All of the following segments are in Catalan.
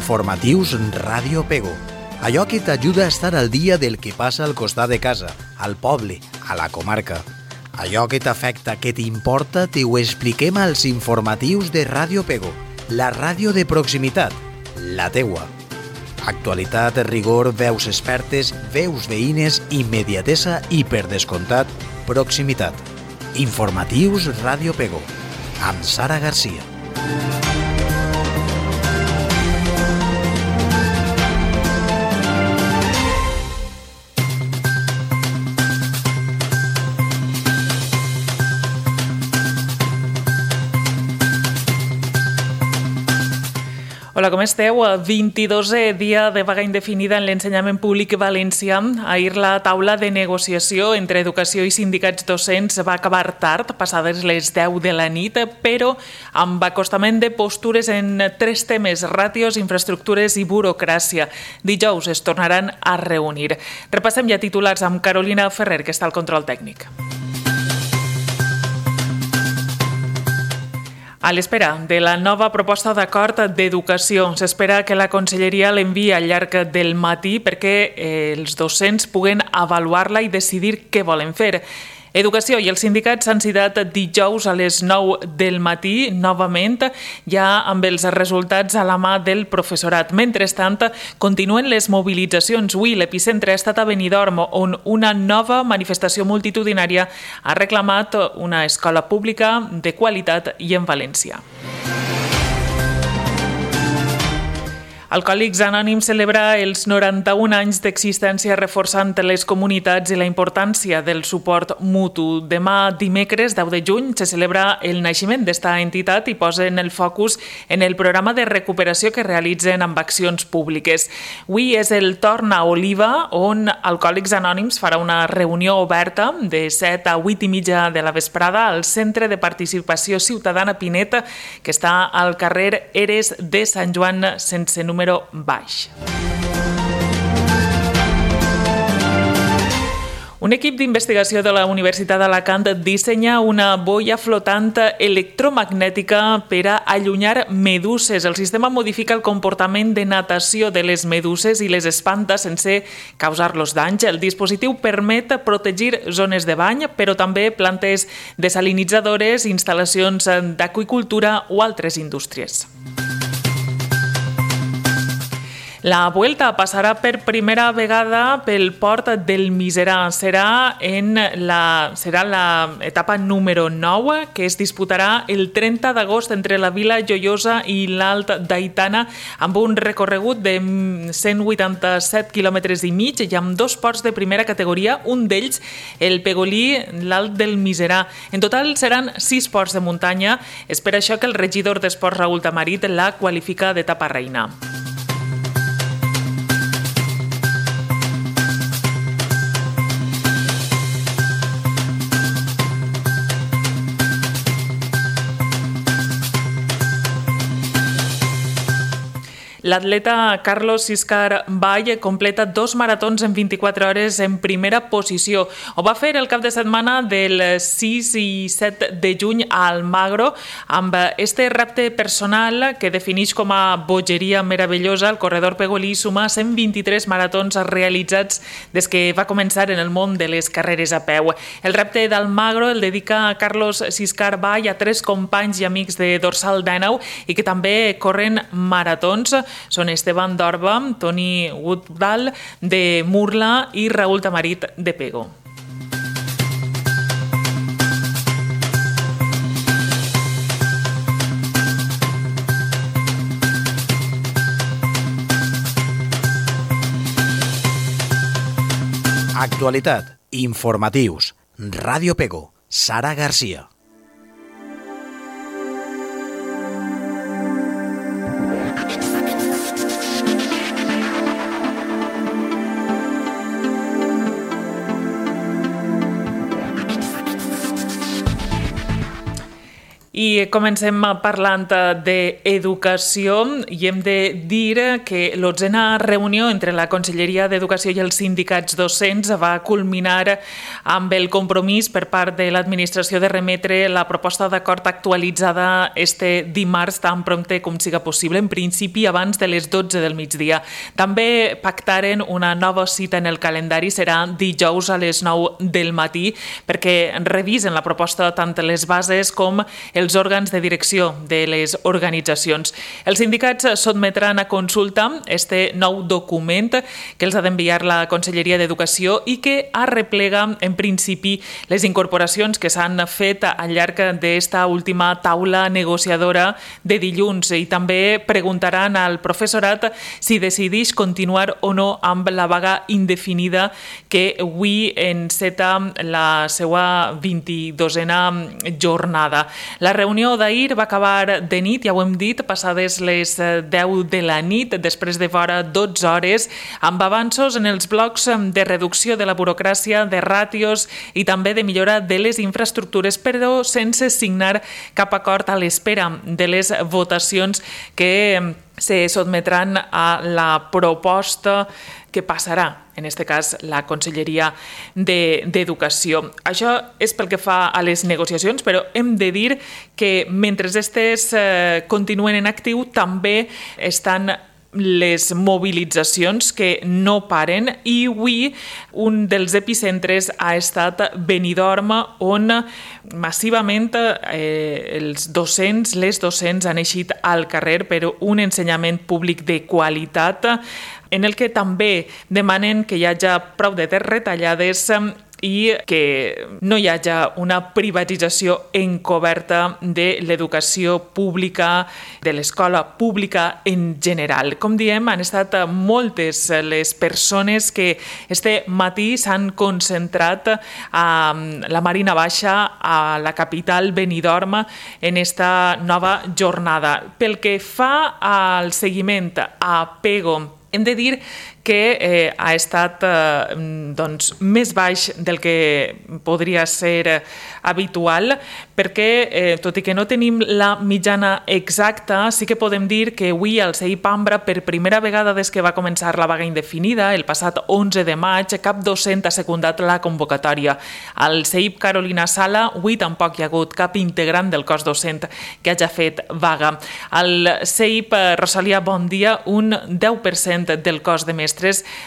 Informatius Ràdio Pego. Allò que t'ajuda a estar al dia del que passa al costat de casa, al poble, a la comarca. Allò que t'afecta, que t'importa, t'ho expliquem als informatius de Ràdio Pego, la ràdio de proximitat, la teua. Actualitat, rigor, veus expertes, veus veïnes, immediatesa i, per descomptat, proximitat. Informatius Ràdio Pego, amb Sara Garcia. Hola, com esteu? 22è dia de vaga indefinida en l'ensenyament públic valencià. Ahir la taula de negociació entre educació i sindicats docents va acabar tard, passades les 10 de la nit, però amb acostament de postures en 3 temes: ràtios, infraestructures i burocràcia. Dijous es tornaran a reunir. Repassem ja titulars amb Carolina Ferrer, que està al control tècnic. A l'espera de la nova proposta d'acord d'educació, s'espera que la Conselleria l'enviï al llarg del matí perquè els docents puguen avaluar-la i decidir què volen fer. Educació i els sindicats s'han citat dijous a les 9 del matí, novament, ja amb els resultats a la mà del professorat. Mentrestant, continuen les mobilitzacions. Avui l'epicentre ha estat a Benidorm, on una nova manifestació multitudinària ha reclamat una escola pública de qualitat i en valencià. Alcohòlics Anònims celebra els 91 anys d'existència, reforçant les comunitats i la importància del suport mutu. Demà, dimecres 10 de juny, se celebra el naixement d'esta entitat i posen el focus en el programa de recuperació que realitzen amb accions públiques. Avui és el torn a Oliva, on Alcohòlics Anònims farà una reunió oberta de 7 a 8 i mitja de la vesprada al Centre de Participació Ciutadana Pinet, que està al carrer Eres de Sant Joan, sense número baix. Un equip d'investigació de la Universitat d'Alacant dissenya una boia flotant electromagnètica per a allunyar meduses. El sistema modifica el comportament de natació de les meduses i les espanta sense causar-los danys. El dispositiu permet protegir zones de bany, però també plantes desalinitzadores, instal·lacions d'aqüicultura o altres indústries. La Vuelta passarà per primera vegada pel port del Miserà. Serà l'etapa número 9, que es disputarà el 30 d'agost entre la Vila Joiosa i l'Alt d'Aitana, amb un recorregut de 187 quilòmetres i mig i amb 2 ports de primera categoria, un d'ells el Pegolí, l'Alt del Miserà. En total seran 6 ports de muntanya. És per això que el regidor d'Esports, Raül Tamarit, la qualifica d'etapa reina. L'atleta Carlos Siscar Vall completa 2 maratons en 24 hores en primera posició. Ho va fer el cap de setmana del 6 i 7 de juny a Almagro. Amb este repte personal que defineix com a bogeria meravellosa, el corredor pegolí suma 123 maratons realitzats des que va començar en el món de les carreres a peu. El repte d'Almagro el dedica a Carlos Siscar Vall, a 3 companys i amics de Dorsal 19 i que també corren maratons. Són Esteban d'Orba, Toni Woodall de Murla i Raül Tamarit de Pego. Actualitat, informatius, Ràdio Pego, Sara Garcia. I comencem parlant d'educació i hem de dir que l'11a reunió entre la Conselleria d'Educació i els sindicats docents va culminar amb el compromís per part de l'administració de remetre la proposta d'acord actualitzada este dimarts tan prompte com siga possible, en principi abans de les 12 del migdia. També pactaren una nova cita en el calendari, serà dijous a les 9 del matí, perquè revisen la proposta tant les bases com els òrgans de direcció de les organitzacions. Els sindicats sotmetran a consulta este nou document que els ha d'enviar la Conselleria d'Educació i que arreplega, en principi, les incorporacions que s'han fet al llarg d'esta última taula negociadora de dilluns i també preguntaran al professorat si decideix continuar o no amb la vaga indefinida que avui enceta la seva 22a jornada. La reunió d'ahir va acabar de nit, ja ho hem dit, passades les 10 de la nit, després de vora 12 hores, amb avanços en els blocs de reducció de la burocràcia, de ràtios i també de millora de les infraestructures, però sense signar cap acord a l'espera de les votacions que se sotmetran a la proposta que passarà, en aquest cas, la Conselleria d'Educació. Això és pel que fa a les negociacions, però hem de dir que mentre aquestes continuen en actiu, també estan les mobilitzacions que no paren i avui un dels epicentres ha estat Benidorm, on massivament els docents, les docents han eixit al carrer per un ensenyament públic de qualitat en el que també demanen que hi hagi prou de retallades i que no hi hagi una privatització encoberta de l'educació pública, de l'escola pública en general. Com diem, han estat moltes les persones que este matí s'han concentrat a la Marina Baixa, a la capital Benidorm, en esta nova jornada. Pel que fa al seguiment a PEGO, hem de dir que ha estat més baix del que podria ser habitual, perquè, tot i que no tenim la mitjana exacta, sí que podem dir que avui al CEIP Ambra, per primera vegada des que va començar la vaga indefinida, el passat 11 de maig, cap docent ha secundat la convocatòria. Al CEIP Carolina Sala, avui tampoc hi ha hagut cap integrant del cos docent que hagi fet vaga. Al CEIP Rosalia Bondia, un 10% del cos de mestres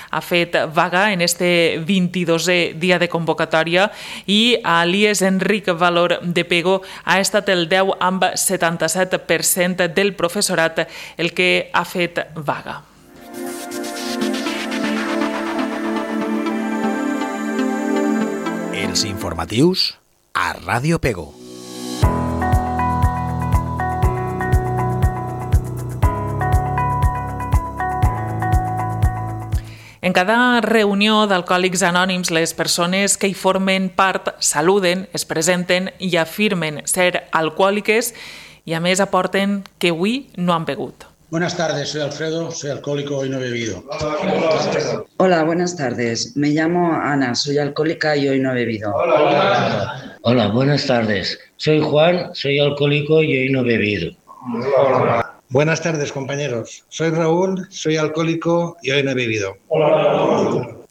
ha fet vaga en este 22è dia de convocatòria i a l'IES Enric Valor de PEGO ha estat el 10 amb 77% del professorat el que ha fet vaga. Els informatius a Ràdio PEGO. En cada reunió d'Alcohòlics Anònims, les persones que hi formen part saluden, es presenten i afirmen ser alcohòliques y a més aporten que avui no han begut. Buenas tardes, soy Alfredo, soy alcohólico y no he bebido. Hola, buenas tardes. Me llamo Ana, soy alcohólica y hoy no he bebido. Hola, buenas tardes. Soy Juan, soy alcohólico y hoy no he bebido. Buenas tardes, compañeros. Soy Raúl, soy alcohólico y hoy no he bebido.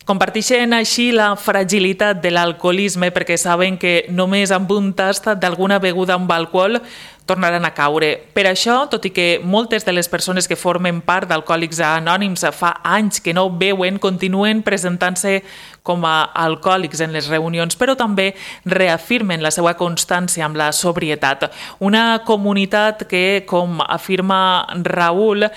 Comparteixen així la fragilitat de l'alcoholisme perquè saben que només amb un tast d'alguna beguda amb alcohol tornaran a caure. Per això, tot i que moltes de les persones que formen part d'Alcohòlics Anònims fa anys que no beuen, continuen presentant-se com a alcohòlics en les reunions, però també reafirmen la seva constància amb la sobrietat. Una comunitat que, com afirma Raúl,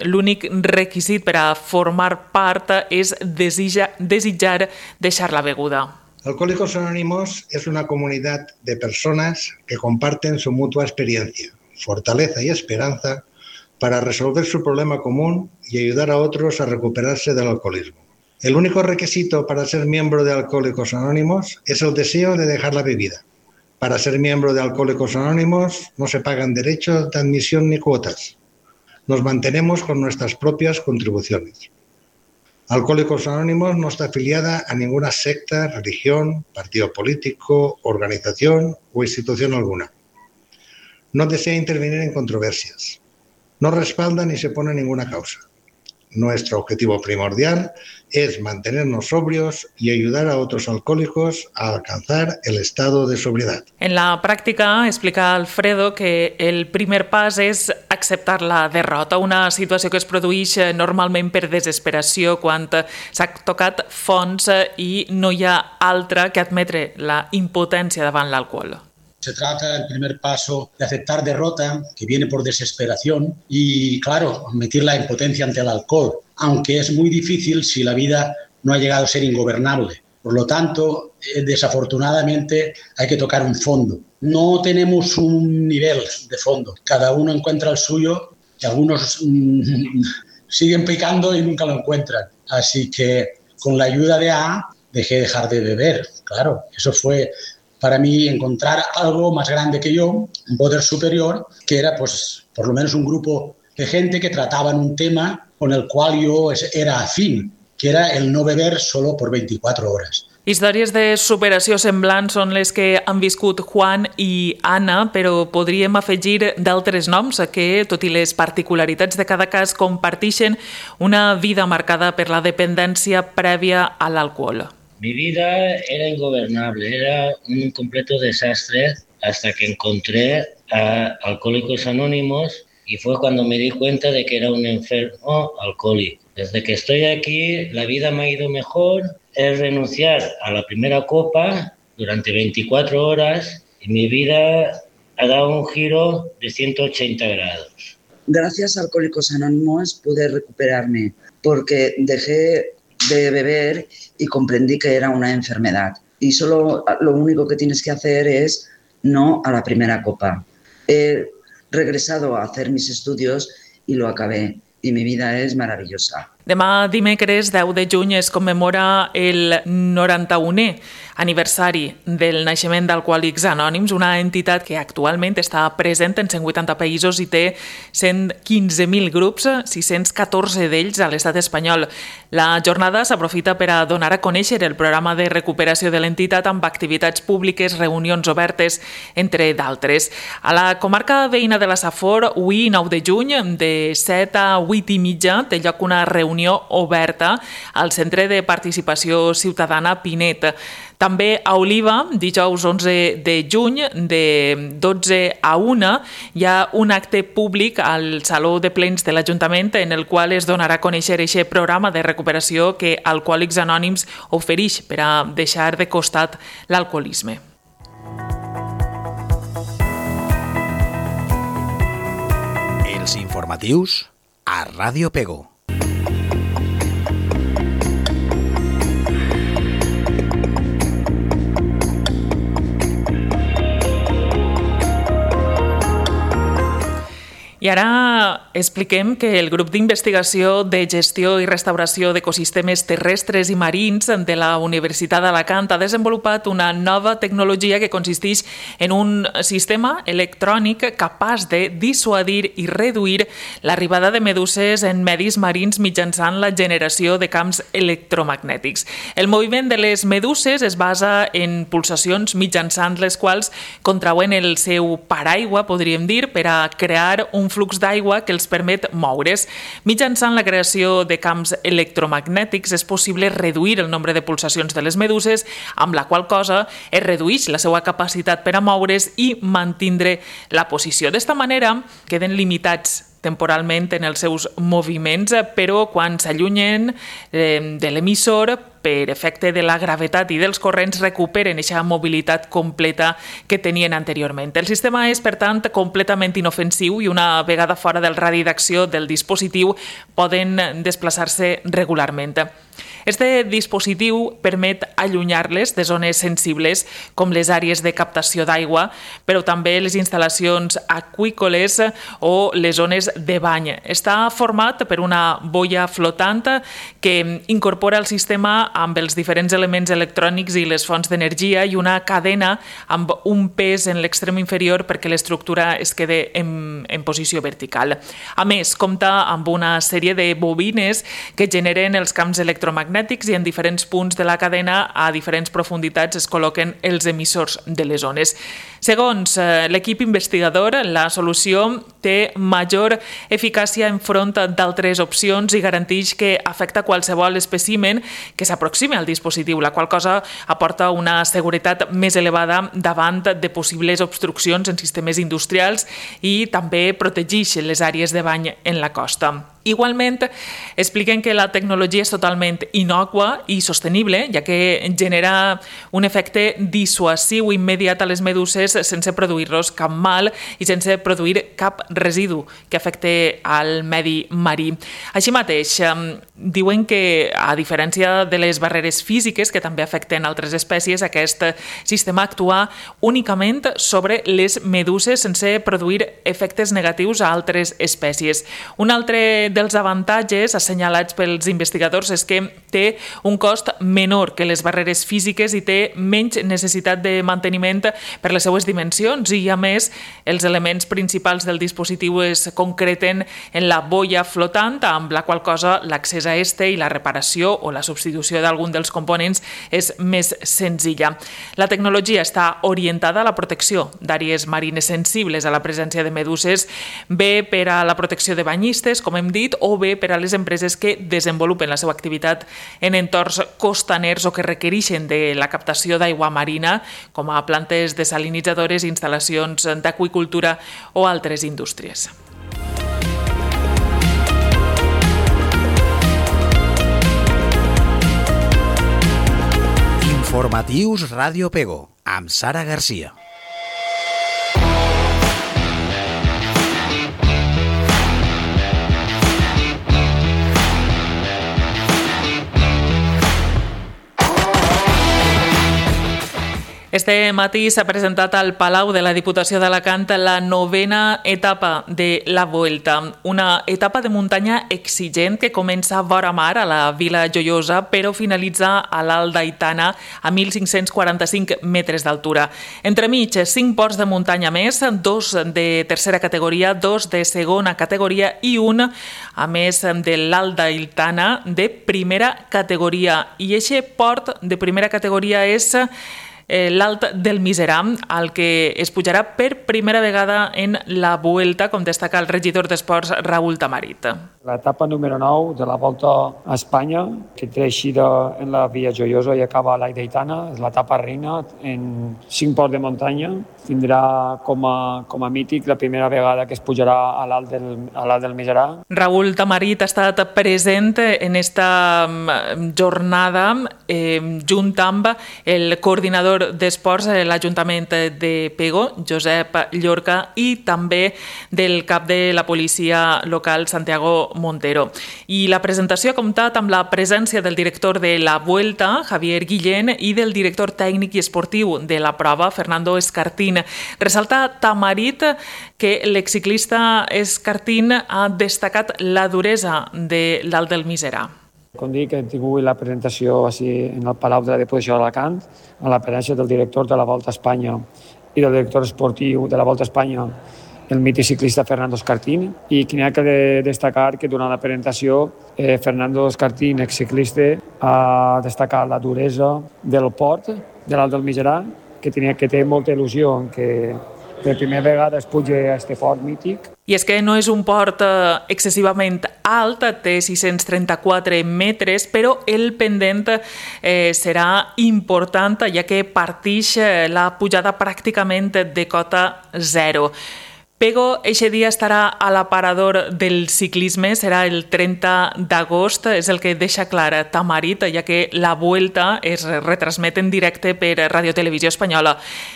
l'únic requisit per a formar part és desitjar deixar la beguda. Alcohólicos Anónimos es una comunidad de personas que comparten su mutua experiencia, fortaleza y esperanza para resolver su problema común y ayudar a otros a recuperarse del alcoholismo. El único requisito para ser miembro de Alcohólicos Anónimos es el deseo de dejar la bebida. Para ser miembro de Alcohólicos Anónimos no se pagan derechos de admisión ni cuotas. Nos mantenemos con nuestras propias contribuciones. Alcohólicos Anónimos no está afiliada a ninguna secta, religión, partido político, organización o institución alguna. No desea intervenir en controversias. No respalda ni se pone ninguna causa. Nuestro objetivo primordial es mantenernos sobrios y ayudar a otros alcohólicos a alcanzar el estado de sobriedad. En la pràctica, explica Alfredo que el primer pas és acceptar la derrota, una situació que es produeix normalment per desesperació quan s'ha tocat fons i no hi ha altra que admetre la impotència davant l'alcohol. Se trata el primer paso de aceptar derrota, que viene por desesperación, y, claro, admitir la impotencia ante el alcohol, aunque es muy difícil si la vida no ha llegado a ser ingobernable. Por lo tanto, desafortunadamente, hay que tocar un fondo. No tenemos un nivel de fondo. Cada uno encuentra el suyo y algunos siguen picando y nunca lo encuentran. Así que, con la ayuda de A, dejé de dejar de beber. Claro, eso fue para mí encontrar algo más grande que yo, un poder superior, que era pues por lo menos un grupo de gente que trataban un tema con el cual yo era afín, que era el no beber solo por 24 horas. Històries de superació semblants són les que han viscut Juan i Anna, però podríem afegir d'altres noms que, tot i les particularitats de cada cas, comparteixen una vida marcada per la dependència prèvia a l'alcohol. Mi vida era ingobernable, era un completo desastre hasta que encontré a Alcohólicos Anónimos y fue cuando me di cuenta de que era un enfermo alcohólico. Desde que estoy aquí, la vida me ha ido mejor, es renunciar a la primera copa durante 24 horas y mi vida ha dado un giro de 180 grados. Gracias a Alcohólicos Anónimos pude recuperarme porque dejé de beber y comprendí que era una enfermedad. Y solo lo único que tienes que hacer es no a la primera copa. He regresado a hacer mis estudios y lo acabé. Y mi vida es maravillosa. Demà dimecres 10 de juny es commemora el 91è aniversari del naixement d'Alcohòlics Anònims, una entitat que actualment està present en 180 països i té 115.000 grups, 614 d'ells a l'estat espanyol. La jornada s'aprofita per a donar a conèixer el programa de recuperació de l'entitat amb activitats públiques, reunions obertes, entre d'altres. A la comarca veïna de la Safor, avui, 9 de juny, de 7 a 8 i mitja, té lloc una reunió oberta al Centre de Participació Ciutadana Pinet. També a Oliva, dijous 11 de juny, de 12 a 1, hi ha un acte públic al Saló de Plens de l'Ajuntament en el qual es donarà a conèixer aquest programa de recuperació que Alcohòlics Anònims ofereix per a deixar de costat l'alcoholisme. Els informatius a Ràdio Pego. I ara expliquem que el grup d'investigació de gestió i restauració d'ecosistemes terrestres i marins de la Universitat d'Alacant ha desenvolupat una nova tecnologia que consisteix en un sistema electrònic capaç de dissuadir i reduir l'arribada de meduses en medis marins mitjançant la generació de camps electromagnètics. El moviment de les meduses es basa en pulsacions mitjançant les quals contrauen el seu paraigua, podríem dir, per a crear un flux d'aigua que els permet moure's. Mitjançant la creació de camps electromagnètics és possible reduir el nombre de pulsacions de les meduses, amb la qual cosa es redueix la seva capacitat per a moure's i mantindre la posició. D'esta manera queden limitats temporalment en els seus moviments, però quan s'allunyen de l'emissor, per efecte de la gravetat i dels corrents, recuperen aquesta mobilitat completa que tenien anteriorment. El sistema és, per tant, completament inofensiu i una vegada fora del radi d'acció del dispositiu poden desplaçar-se regularment. Este dispositiu permet allunyar-les de zones sensibles com les àrees de captació d'aigua, però també les instal·lacions aqüícoles o les zones de bany. Està format per una boia flotant que incorpora el sistema amb els diferents elements electrònics i les fonts d'energia i una cadena amb un pes en l'extrem inferior perquè l'estructura es quede en posició vertical. A més, compta amb una sèrie de bobines que generen els camps electromagnètics i en diferents punts de la cadena a diferents profunditats es col·loquen els emissors de les ones. Segons l'equip investigador, la solució té major eficàcia enfront d'altres opcions i garanteix que afecta qualsevol espècimen que s'aproximi al dispositiu, la qual cosa aporta una seguretat més elevada davant de possibles obstruccions en sistemes industrials i també protegeix les àrees de bany en la costa. Igualment, expliquen que la tecnologia és totalment innòcua i sostenible, ja que genera un efecte dissuasiu immediat a les meduses sense produir-los cap mal i sense produir cap residu que afecte al medi marí. Així mateix, diuen que, a diferència de les barreres físiques que també afecten altres espècies, aquest sistema actua únicament sobre les meduses sense produir efectes negatius a altres espècies. Un altre dels avantatges assenyalats pels investigadors és que té un cost menor que les barreres físiques i té menys necessitat de manteniment per les seues dimensions i, a més, els elements principals del dispositiu es concreten en la boia flotant, amb la qual cosa l'accés a este i la reparació o la substitució d'algun dels components és més senzilla. La tecnologia està orientada a la protecció d'àrees marines sensibles a la presència de meduses, bé per a la protecció de banyistes, com hem dit, o bé per a les empreses que desenvolupen la seva activitat en entorns costaners o que requereixen de la captació d'aigua marina, com a plantes desalinitzadores, instal·lacions d'aqüicultura o altres indústries. Informatius Ràdio Pego, amb Sara Garcia. Este matí s'ha presentat al Palau de la Diputació d'Alacant la 9a etapa de la Vuelta, una etapa de muntanya exigent que comença vora mar a la Vila Joiosa però finalitza a l'Alt d'Aitana a 1.545 metres d'altura. Entremig, 5 ports de muntanya més, 2 de tercera categoria, 2 de segona categoria i un, a més de l'Alt d'Aitana, de primera categoria. I aquest port de primera categoria és l'Alt del Miserà, al que es pujarà per primera vegada en la Vuelta, com destaca el regidor d'Esports Raúl Tamarit. L'etapa número 9 de la Volta a Espanya, que té eixida en la Via Joiosa i acaba a l'Alt d'Aitana, és l'etapa reina en 5 ports de muntanya. Tindrà com a mític la primera vegada que es pujarà a l'Alt del Miserà. Raúl Tamarit ha estat present en esta jornada junt amb el coordinador d'esports de l'Ajuntament de Pego, Josep Llorca, i també del cap de la policia local, Santiago Montero. I la presentació ha comptat amb la presència del director de la Vuelta, Javier Guillén, i del director tècnic i esportiu de la prova, Fernando Escartín. Ressalta Tamarit que l'exciclista Escartín ha destacat la duresa de l'Alt del Miserà. Com dic, hem tingut la presentació en el Palau de la Diputació d'Alacant, amb la presència del director de la Volta a Espanya i del director esportiu de la Volta a Espanya, el mític ciclista Fernando Escartín, i que n'hi ha que destacar que durant la presentació Fernando Escartín, exciclista, ha destacat la duresa del port de l'Alt del Miserà, que té molta il·lusió en que per primera vegada es puja a aquest port mític. I és que no és un port excessivament alt, té 634 metres, però el pendent serà important, ja que partix la pujada pràcticament de cota zero. Pego eixe dia estarà a l'aparador del ciclisme, serà el 30 d'agost, és el que deixa clar Tamarit, ja que la Vuelta es retransmet en directe per Radio Televisió Espanyola.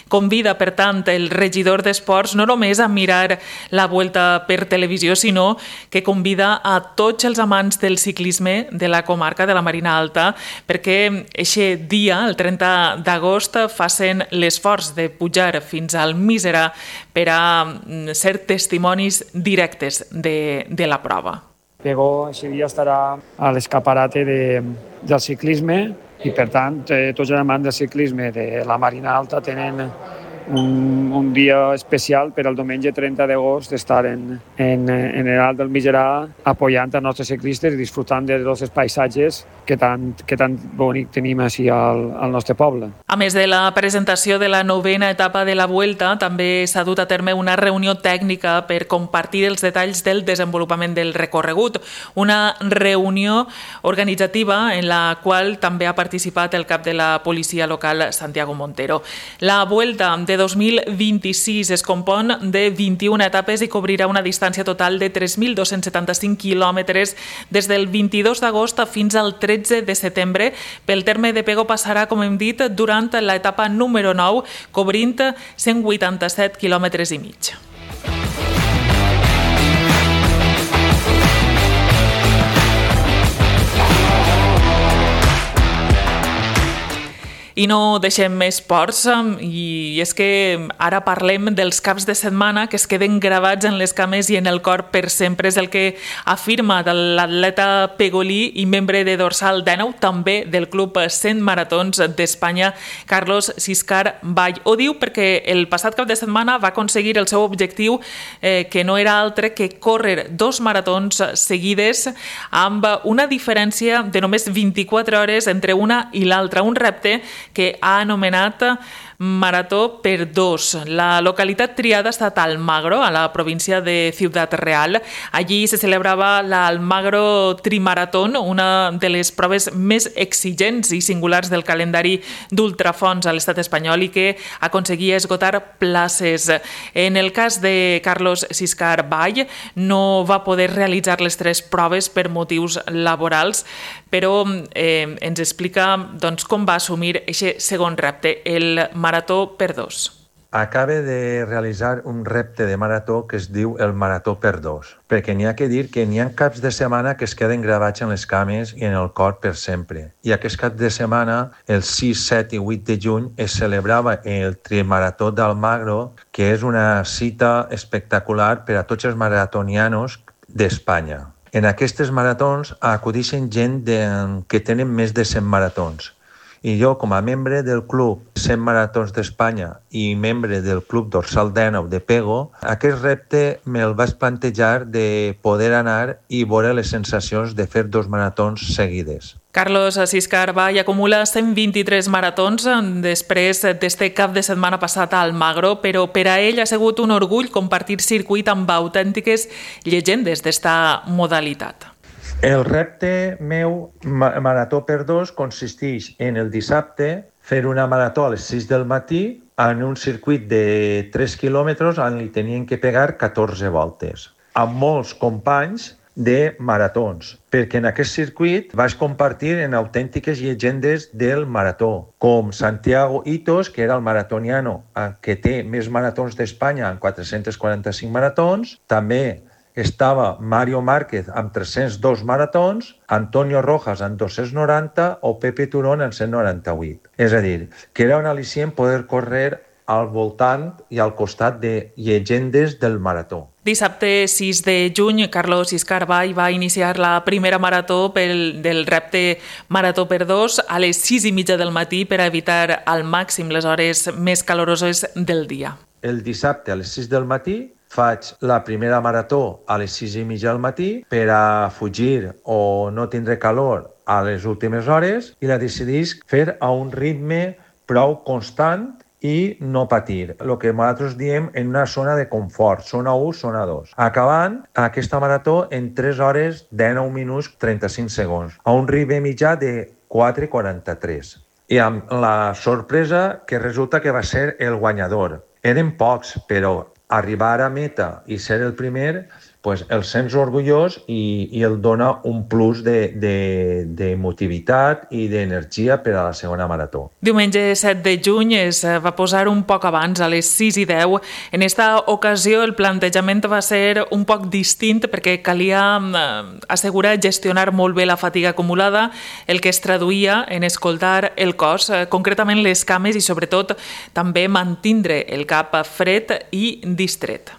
Convida, per tant, el regidor d'Esports no només a mirar la Vuelta per televisió, sinó que convida a tots els amants del ciclisme de la comarca de la Marina Alta perquè eixe dia, el 30 d'agost, facin l'esforç de pujar fins al Miserà per a ser testimonis directes de la prova. Pego aquest dia estarà a l'escaparate del ciclisme i, per tant, tots els amants del ciclisme de la Marina Alta tenen un dia especial per al diumenge 30 d'agost d'estar en el Alt del Migerà apoyant els nostres ciclistes i disfrutant de tots els paisatges que tan bonic tenim així al nostre poble. A més de la presentació de la 9ª etapa de la Vuelta, també s'ha dut a terme una reunió tècnica per compartir els detalls del desenvolupament del recorregut. Una reunió organitzativa en la qual també ha participat el cap de la policia local, Santiago Montero. La Vuelta de 2026 es compon de 21 etapes i cobrirà una distància total de 3.275 quilòmetres des del 22 d'agost fins al 13 de setembre. Pel terme de Pego passarà, com hem dit, durant l'etapa número 9, cobrint 187 quilòmetres i mig. I no deixem més ports, i és que ara parlem dels caps de setmana que es queden gravats en les cames i en el cor per sempre. És el que afirma l'atleta pegolí i membre de dorsal 19, també del Club 100 Maratons d'Espanya, Carlos Siscar Vall. Ho diu perquè el passat cap de setmana va aconseguir el seu objectiu, que no era altre que córrer 2 maratons seguides amb una diferència de només 24 hores entre una i l'altra, un repte que ha anomenat Marató per 2. La localitat triada ha estat Almagro, a la província de Ciudad Real. Allí se celebrava l'Almagro Trimaratón, una de les proves més exigents i singulars del calendari d'ultrafons a l'estat espanyol i que aconseguia esgotar places. En el cas de Carlos Siscar Vall, no va poder realitzar les 3 proves per motius laborals, però ens explica com va assumir aquest segon repte, el Marató per 2. Acaba de realitzar un repte de marató que es diu el Marató per 2, perquè n'hi ha que dir que n'hi ha caps de setmana que es queden gravats en les cames i en el cor per sempre. I aquest cap de setmana, el 6, 7 i 8 de juny, es celebrava el Trimarató d'Almagro, que és una cita espectacular per a tots els maratonianos d'Espanya. En aquestes maratons acudixen gent que tenen més de 100 maratons. I jo, com a membre del Club 100 Maratons d'Espanya i membre del Club Dorsal 19 de Pego, aquest repte me'l vaig plantejar de poder anar i veure les sensacions de fer 2 maratons seguides. Carlos Siscar Vall acumula 123 maratons després d'este cap de setmana passat a Almagro, però per a ell ha sigut un orgull compartir circuit amb autèntiques llegendes d'esta modalitat. El repte meu Marató per 2 consisteix en el dissabte fer una marató a les 6 del matí en un circuit de 3 quilòmetres on li tenien que pegar 14 voltes, amb molts companys de maratons, perquè en aquest circuit vaig compartir en autèntiques llegendes del marató, com Santiago Hitos, que era el maratoniano que té més maratons d'Espanya en 445 maratons, també estava Mario Márquez amb 302 maratons, Antonio Rojas amb 290 o Pepe Turón amb 198. És a dir, que era un al·licient poder córrer al voltant i al costat de llegendes del marató. Dissabte 6 de juny, Carlos Siscar Vall va iniciar la primera marató del repte Marató per 2 a les 6:30 del matí per evitar al màxim les hores més caloroses del dia. El dissabte a les 6 del matí faig la primera marató a les 6:30 del matí per a fugir o no tindre calor a les últimes hores i la decidís fer a un ritme prou constant i no patir, el que nosaltres diem en una zona de confort, zona 1, zona 2. Acabant aquesta marató en 3 hores 19 minuts 35 segons, a un ritme mitjà de 4:43. I amb la sorpresa que resulta que va ser el guanyador. Eren pocs, però arribar a meta i ser el primer, pues el sents orgullós i el dona un plus d'emotivitat i d'energia per a la segona marató. Diumenge 7 de juny es va posar un poc abans, a les 6:10. En esta ocasió el plantejament va ser un poc distint perquè calia assegurar gestionar molt bé la fatiga acumulada, el que es traduïa en escoltar el cos, concretament les cames i sobretot també mantindre el cap fred i distret.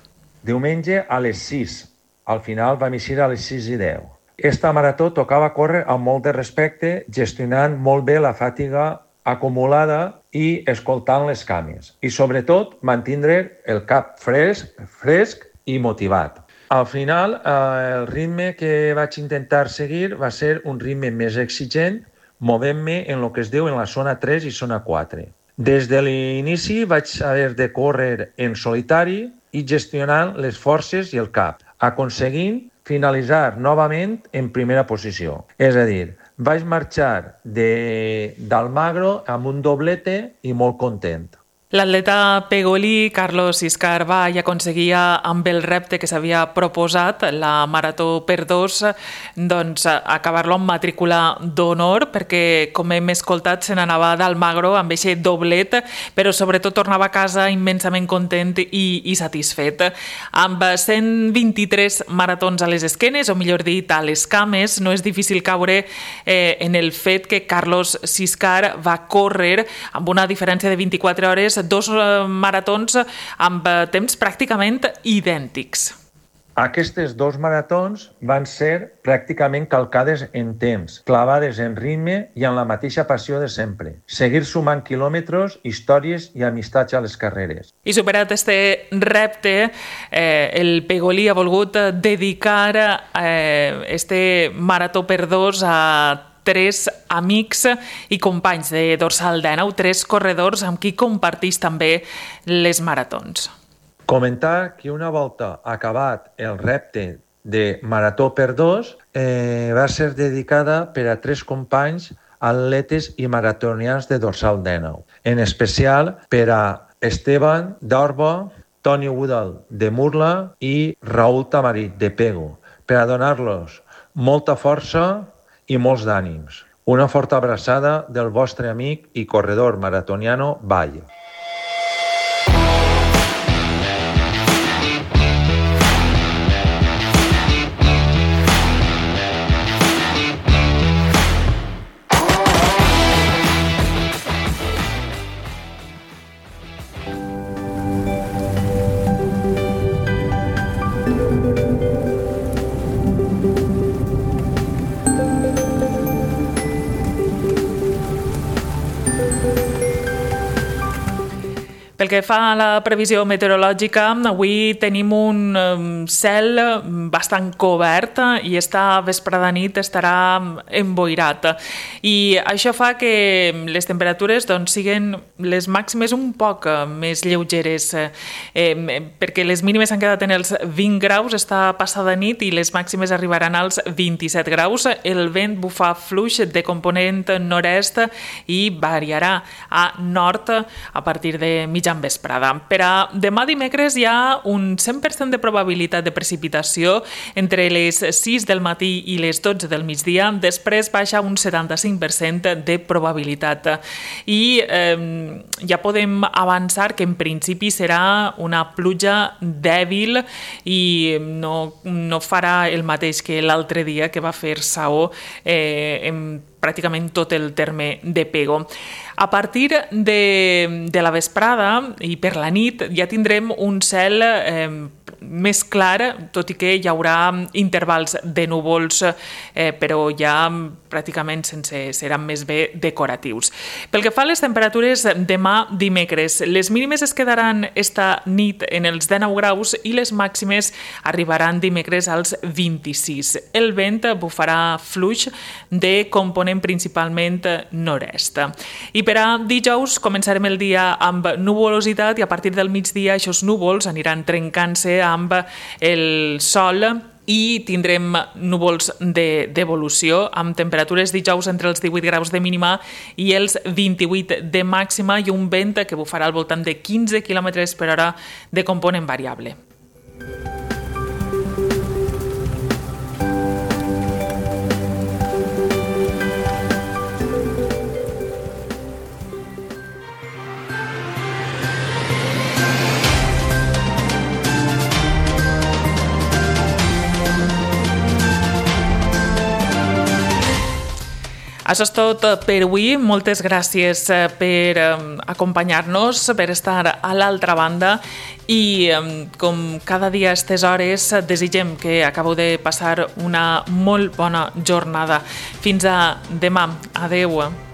Diumenge a les 6. Al final vam eixir a les 6:10. Esta marató tocava córrer amb molt de respecte, gestionant molt bé la fatiga acumulada i escoltant les cames. I sobretot mantindre el cap fresc i motivat. Al final, el ritme que vaig intentar seguir va ser un ritme més exigent, movent-me en el que es diu en la zona 3 i zona 4. Des de l'inici vaig haver de córrer en solitari i gestionant les forces i el cap, aconseguint finalitzar novament en primera posició. És a dir, vaig marxar d'Almagro amb un doblete i molt content. L'atleta pegolí Carlos Siscar va i aconseguia amb el repte que s'havia proposat, la Marató per 2, doncs acabar-lo amb matrícula d'honor, perquè com hem escoltat se n'anava d'Almagro amb aquest doblet, però sobretot tornava a casa immensament content i satisfet. Amb 123 maratons a les esquenes, o millor dit a les cames, no és difícil caure en el fet que Carlos Siscar va córrer amb una diferència de 24 hores 2 maratons amb temps pràcticament idèntics. Aquestes 2 maratons van ser pràcticament calcades en temps, clavades en ritme i amb la mateixa passió de sempre. Seguir sumant quilòmetres, històries i amistats a les carreres. I superat este repte, el pegolí ha volgut dedicar este Marató per 2 a 3 amics i companys de Dorsal 19, 3 corredors amb qui compartís també les maratons. Comentar que una volta acabat el repte de Marató per 2 va ser dedicada per a 3 companys atletes i maratonians de Dorsal 19, en especial per a Esteban d'Orba, Toni Woodall de Murla i Raúl Tamarit de Pego, per a donar-los molta força i molts d'ànims. Una forta abraçada del vostre amic i corredor maratoniano Vall. Pel que fa a la previsió meteorològica, avui tenim un cel bastant cobert i esta vesprada nit estarà emboirat. I això fa que les temperatures siguin les màximes un poc més lleugeres, perquè les mínimes han quedat en els 20 graus esta passada nit i les màximes arribaran als 27 graus. El vent bufa fluix de component nord-est i variarà a nord a partir de mitjan vesprada. Per a demà dimecres hi ha un 100% de probabilitat de precipitació entre les 6 del matí i les 12 del migdia, després baixa un 75% de probabilitat. I ja podem avançar que en principi serà una pluja dèbil i no farà el mateix que l'altre dia, que va fer saó en pràcticament tot el terme de Pego. A partir de la vesprada i per la nit ja tindrem un cel més clar, tot i que hi haurà intervals de núvols, però ja pràcticament seran més bé decoratius. Pel que fa a les temperatures, demà dimecres, les mínimes es quedaran esta nit en els 19 graus i les màximes arribaran dimecres als 26. El vent bufarà fluix de component principalment nord-est. I per a dijous començarem el dia amb nuvolositat i a partir del migdia aquests núvols aniran trencant-se amb el sol i tindrem núvols d'evolució amb temperatures dijous entre els 18 graus de mínima i els 28 de màxima i un vent que bufarà al voltant de 15 km per hora de component variable. Això és tot per avui. Moltes gràcies per acompanyar-nos, per estar a l'altra banda i com cada dia a aquestes hores desitgem que acabeu de passar una molt bona jornada. Fins a demà. Adeu.